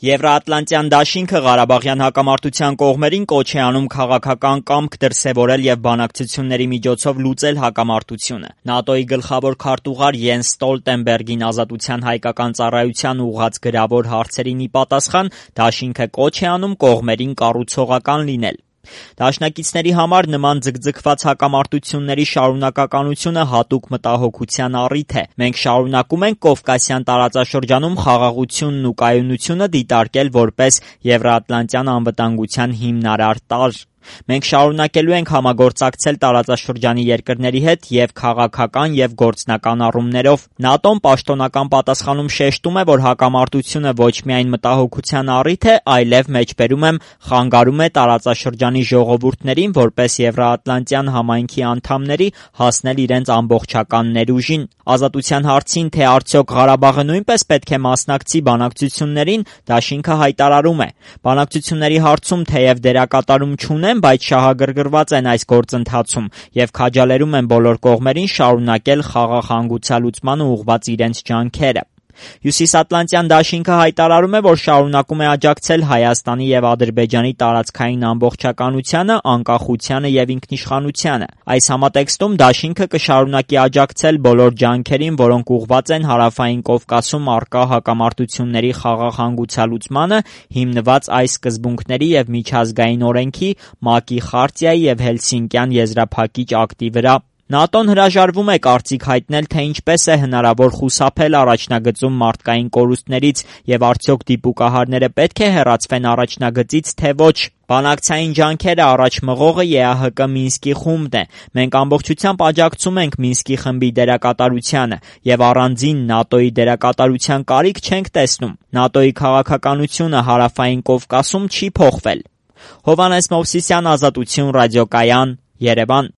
Եվրաատլանտյան դաշինքը Ղարաբաղյան հակամարտության կողմերին կոչ է անում քաղաքական կամք դրսևորել եւ բանակցությունների միջոցով լուծել հակամարտությունը։ ՆԱՏՕ-ի գլխավոր քարտուղար Յենս Ստոլտենբերգին ազատության հայկական ծառայության ուղղած գրավոր հարցերին ի պատասխան դաշինքը կոչ է անում կողմերին կառուցողական լինել։ Դաշնակիցների համար նման ձգձգված հակամարտությունների շարունակականությունը հատուկ մտահոգության առիթ է։ Մենք շարունակում ենք Կովկասյան տարածաշրջանում խաղաղությունն ու կայունությունը դիտարկել որպես Եվրաատլանտյան անվտանգության հիմնարար տարր։ Մենք շարունակելու ենք համագործակցել տարածաշրջանի երկրների հետ եւ քաղաքական եւ գործնական առումներով։ ՆԱՏՕ-ն պաշտոնական պատասխանում շեշտում է, որ հակամարտությունը ոչ միայն մտահոգության առիթ է, այլև մեջբերում եմ խանգարում է տարածաշրջանի ժողովուրդներին որպես Եվրաատլանտյան համայնքի անդամների հասնել իրենց ամբողջական ներուժին։ Ազատության հարցին, թե արդյոք Ղարաբաղը նույնպես պետք է մասնակցի բանակցություններին, դաշինքը հայտարարում է. բանակցությունների հարցում թեև դերակատարում չունեն, բայց շահագրգռված են այս գործընթացում եւ քաջալերում են բոլոր կողմերին շարունակել խաղաղ հանգուցալուծմանը ուղղված իրենց ջանքերը։ Հյուսիսատլանտյան դաշինքը հայտարարում է, որ շարունակում է աջակցել Հայաստանի եւ Ադրբեջանի տարածքային ամբողջականությանը, անկախությանը եւ ինքնիշխանությանը։ Այս համատեքստում դաշինքը կշարունակի աջակցել բոլոր ջանքերին, որոնք ուղղված են Հարավային Կովկասում առկա հակամարտությունների խաղաղ հանգուցալուծմանը, հիմնված այս սկզբունքների եւ միջազգային օրենքի, ՄԱԿ-ի խարտիայի եւ Հելսինկյան եզրափակիչ ակտի վրա։ ՆԱՏՕ-ն հրաժարվում է կարծիք հայտնել, թե ինչպես է հնարավոր խուսափել առաջնագծում մարդկային կորուստներից եւ արդյոք դիպուկահարները պետք է հեռացվեն առաջնագծից, թե ոչ։ Բանակցային ջանքերը առաջ մղողը ԵԱՀԿ Մինսկի խումբն է։ Մենք ամբողջությամբ աջակցում ենք Մինսկի խմբի դերակատարությանը եւ առանձին ՆԱՏՕ-ի դերակատարության կարիք չենք տեսնում։ ՆԱՏՕ-ի քաղաքականությունը Հարավային Կովկասում չի փոխվել։ Հովհաննես Մովսիսյան, Ազատություն ռադիոկայան, Երևան։